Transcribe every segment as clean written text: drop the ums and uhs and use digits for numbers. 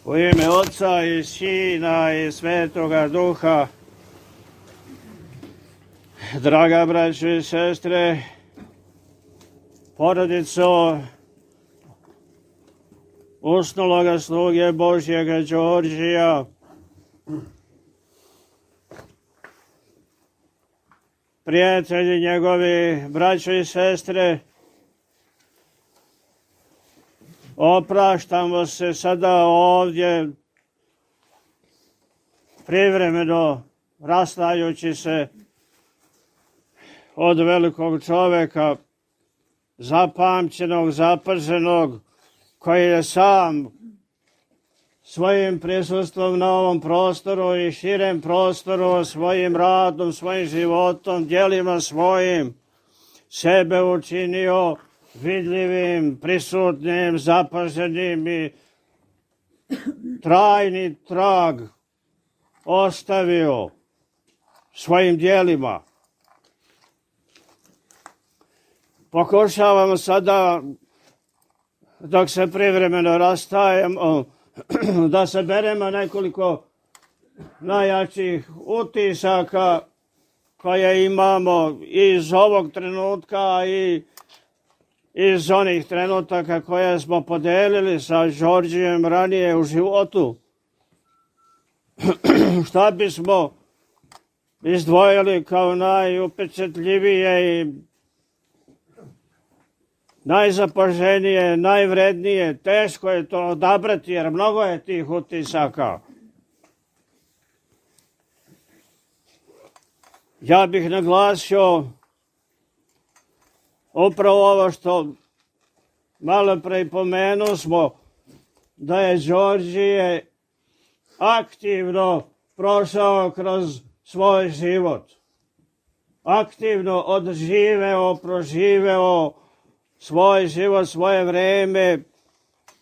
U ime Oca i Sina i Svetoga Duha, draga braćo i sestre, porodico usnuloga sluge Božjega Đorđija, prijatelji njegovi, braćo i sestre, opraštamo se sada ovdje privremeno rastajući se od velikog čoveka, zapamćenog, zapaženog, koji je sam svojim prisustvom na ovom prostoru i širem prostoru, svojim radom, svojim životom, djelima svojim, sebe učinio vidljivim, prisutnim, zapaženim i trajni trag ostavio svojim djelima. Pokušavamo sada, dok se privremeno rastajemo, da saberemo nekoliko najjačih utisaka koje imamo iz ovog trenutka i iz onih trenutaka koje smo podelili sa Đorđijem ranije u životu. Šta bismo izdvojili kao najupečatljivije i najzapaženije, najvrednije? Teško je to odabrati jer mnogo je tih utisaka. Ja bih naglasio upravo ovo što malo pre pomenuo smo, da je Đorđije aktivno prošao kroz svoj život. Aktivno odživeo, proživeo svoj život, svoje vreme,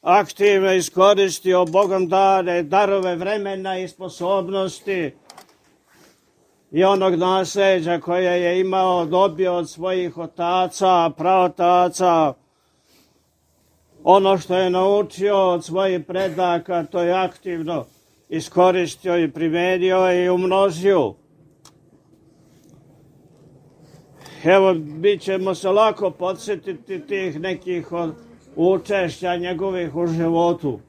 aktivno iskoristio Bogom dane darove vremena i sposobnosti i onog nasljeđa koje je imao, dobio od svojih otaca, praotaca. Ono što je naučio od svojih predaka, to je aktivno iskoristio i primenio i umnožio. Evo, mi ćemo se lako podsjetiti tih nekih učešća njegovih u životu.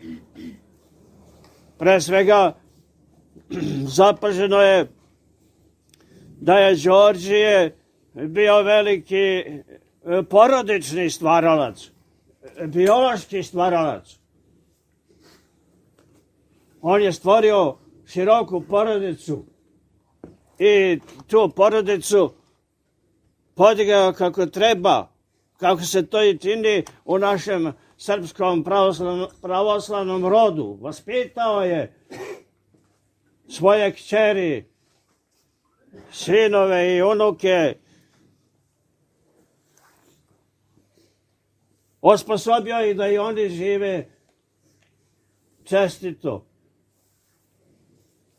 Pre svega, zapaženo je da je Đorđije bio veliki porodični stvaralac, biološki stvaralac. On je stvorio široku porodicu i tu porodicu podigao kako treba, kako se to i čini u našem srpskom pravoslavnom rodu. Vaspitao je svoje kćeri, sinove i unuke, osposobio ih da i oni žive čestito,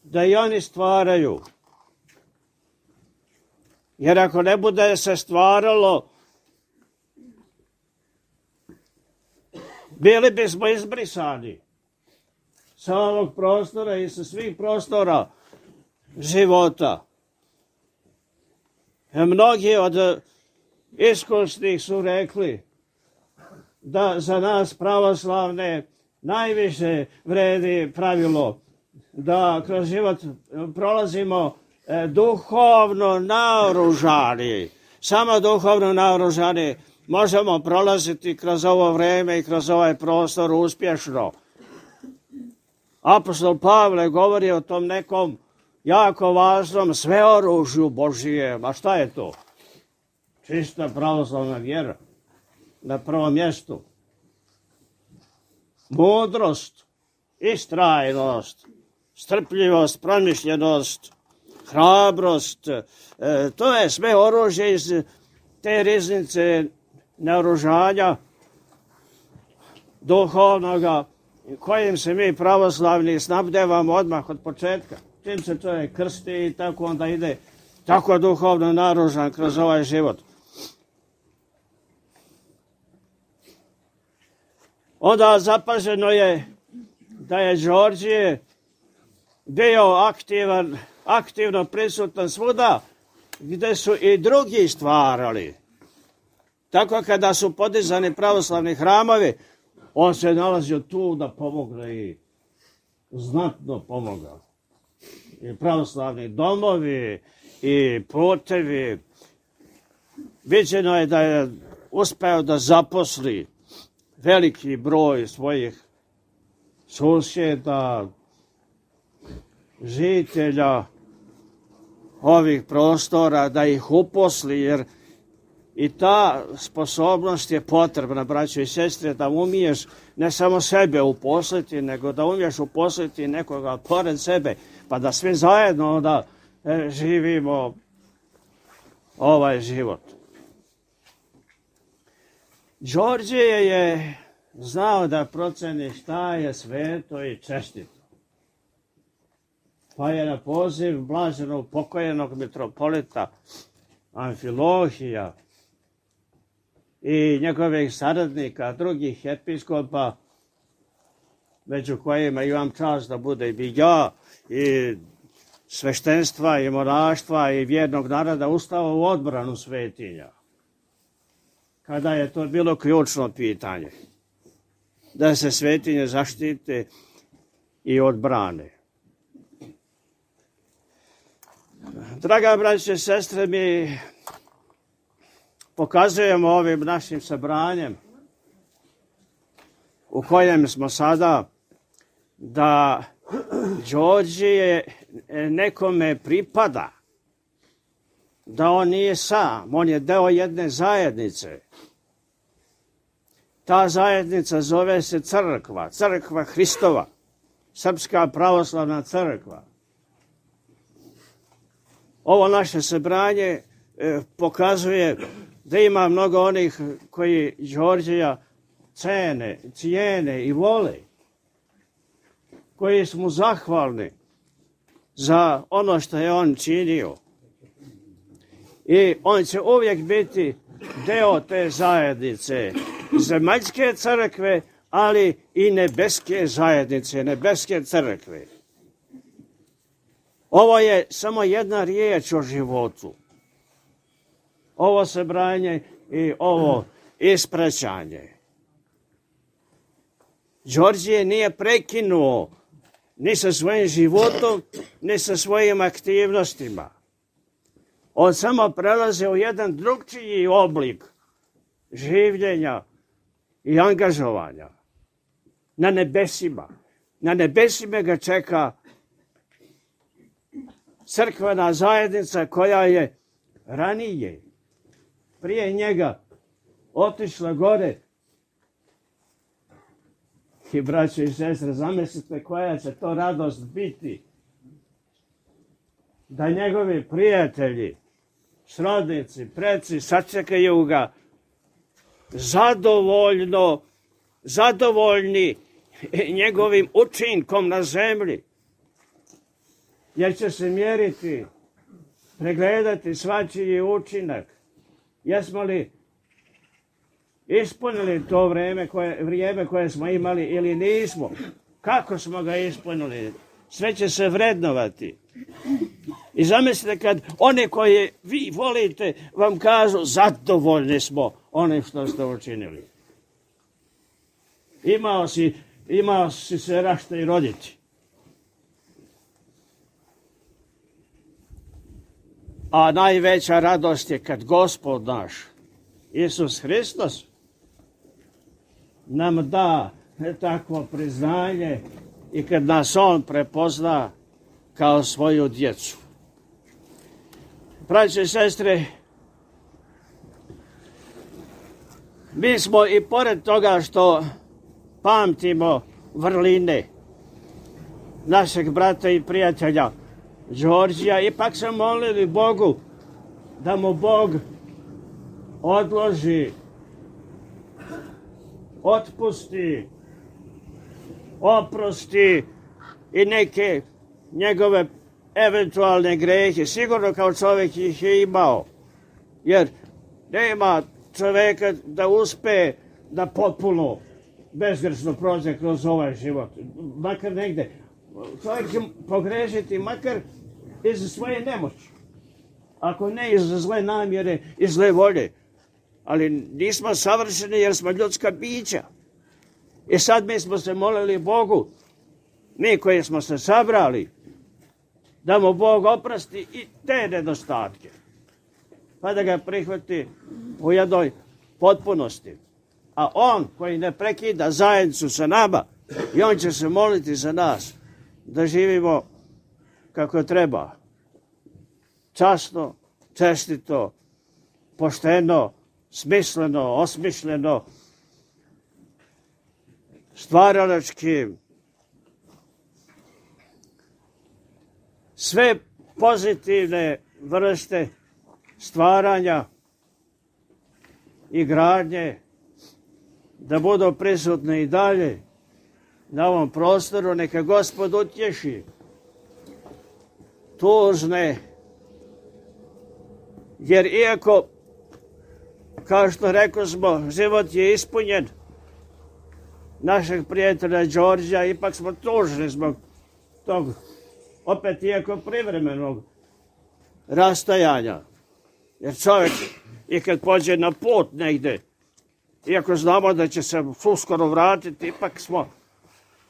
da i oni stvaraju. Jer ako ne bude se stvaralo, bili bismo izbrisani sa ovog prostora i sa svih prostora života. Mnogi od iskusnih su rekli da za nas pravoslavne najviše vredi pravilo da kroz život prolazimo duhovno naoružani. Samo duhovno naoružani možemo prolaziti kroz ovo vreme i kroz ovaj prostor uspješno. Apostol Pavle govori o tom nekom jako važnom sveoružju Božijem. A šta je to? Čista pravoslavna vjera na prvom mjestu. Mudrost, istrajnost, strpljivost, promišljenost, hrabrost. To je sve oružje iz te riznice naoružanja duhovnoga kojim se mi pravoslavni snabdevamo odmah od početka. Čim se čovjek krsti i tako onda ide tako duhovno naoružan kroz ovaj život. Onda zapaženo je da je Đorđije bio aktivno prisutan svuda gde su i drugi stvarali. Tako kada su podizani pravoslavni hramovi, on se nalazio tu da pomogne i znatno pomogao. I pravoslavni domovi i putevi. Viđeno je da je uspeo da zaposli veliki broj svojih susjeda, žitelja ovih prostora, da ih uposli, jer i ta sposobnost je potrebna, braćo i sestre, da umiješ ne samo sebe uposliti, nego da umiješ uposliti nekoga pored sebe, pa da svi zajedno onda živimo ovaj život. Đorđije je znao da proceni šta je sveto i čestito. Pa je na poziv blaženog pokojnog mitropolita Amfilohija i njegovih saradnika, drugih episkopa, među kojima imam čast da bude i ja, i sveštenstva, i monaštva, i vjernog naroda, ustao u odbranu svetinja. Kada je to bilo ključno pitanje, da se svetinje zaštite i odbrane. Draga braće i sestre, mi pokazujemo ovim našim sabranjem u kojem smo sada da Đorđije nekome pripada, da on nije sam, on je deo jedne zajednice. Ta zajednica zove se crkva, crkva Hristova, Srpska pravoslavna crkva. Ovo naše sabranje pokazuje da ima mnogo onih koji Đorđija cijene i vole, koji su mu zahvalni za ono što je on činio. I on će uvijek biti deo te zajednice, zemaljske crkve, ali i nebeske zajednice, nebeske crkve. Ovo je samo jedna riječ o životu. Ovo sabranje i ovo ispraćanje. Đorđije nije prekinuo ni sa svojim životom, ni sa svojim aktivnostima. On samo prelazi u jedan drugčiji oblik življenja i angažovanja na nebesima. Na nebesima ga čeka crkvena zajednica koja je ranije, prije njega, otišla gore. I braćo i sestre, zamislite koja će to radost biti da njegovi prijatelji, srodnici, preci sačekaju ga zadovoljni njegovim učinkom na zemlji. Jer će se mjeriti, pregledati svačiji učinak. Jesmo li ispunili to vrijeme koje smo imali ili nismo? Kako smo ga ispunili? Sve će se vrednovati. I zamislite kad one koje vi volite vam kažu zadovoljni smo onim što ste učinili. Imao si se rašta i roditi. A najveća radost je kad Gospod naš, Isus Hristos, nam da takvo priznanje i kad nas on prepozna kao svoju djecu. Braće i sestre, mi smo i pored toga što pamtimo vrline našeg brata i prijatelja Đorđija, ipak se molili Bogu da mu Bog odloži, otpusti, oprosti i neke njegove eventualne grehe. Sigurno kao čovjek ih je imao, jer nema čovjeka da uspe da potpuno bezgrešno prođe kroz ovaj život. Makar negde. Čovjek će pogrešiti makar iz svoje nemoći. Ako ne iz zle namjere i zle volje. Ali nismo savršeni jer smo ljudska bića. I sad mi smo se molili Bogu, mi koji smo se sabrali, da mu Bog oprosti i te nedostatke. Pa da ga prihvati u jednoj potpunosti. A on koji ne prekida zajednicu sa nama, i on će se moliti za nas da živimo kako treba. Časno, čestito, pošteno, smisleno, osmišljeno, stvaralački. Sve pozitivne vrste stvaranja i gradnje da budu prisutne i dalje na ovom prostoru, neka Gospod utješi tužne, jer iako, kao što rekao smo, život je ispunjen našeg prijatelja Đorđa, ipak smo tužni zbog tog, opet iako privremenog rastajanja. Jer čovjek, i kad pođe na put negde, iako znamo da će se uskoro vratiti, ipak smo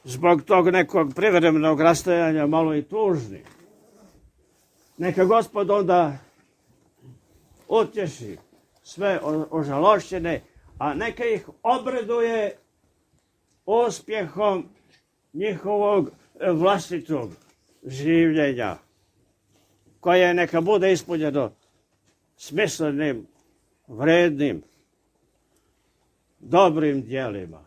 zbog tog nekog privremenog rastajanja malo i tužni. Neka Gospod onda utješi sve ožalošćene, a neka ih obraduje uspjehom njihovog vlastitog življenja, koje neka bude ispunjeno smislenim, vrednim, dobrim djelima.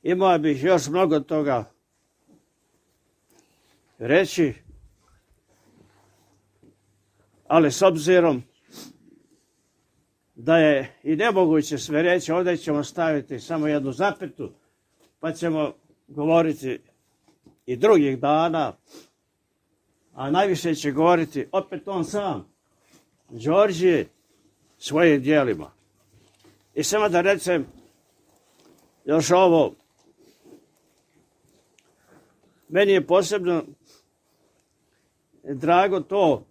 Imao bih još mnogo toga reći, ali s obzirom da je i nemoguće sve reći, ovdje ćemo staviti samo jednu zapetu, pa ćemo govoriti i drugih dana, a najviše će govoriti opet on sam, Đorđe, svojim djelima. I samo da recem još ovo, meni je posebno drago to,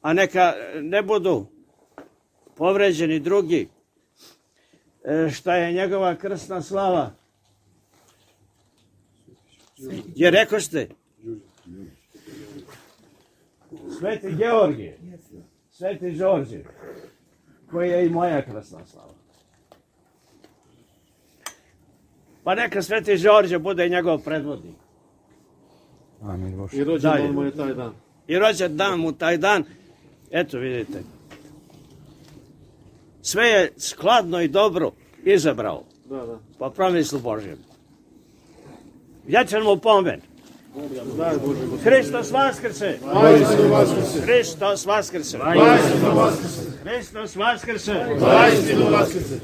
a neka ne budu povređeni drugi, šta je njegova krsna slava. Jer rekao ste, Sveti Georgije, Sveti Đorđe, koji je i moja krsna slava. Pa neka Sveti Đorđe bude njegov predvodnik. Amin Bože. I rođendan mu je taj dan. I rođendan mu taj dan, eto vidite. Sve je skladno i dobro izabrao. Da. Po promislu Božjem. Vječan mu pomen. Daj Bože. Hristos vaskrse! Vaistinu vaskrse! Hristos vaskrse! Vaistinu vaskrse! Hristos vaskrse! Vaistinu vaskrse!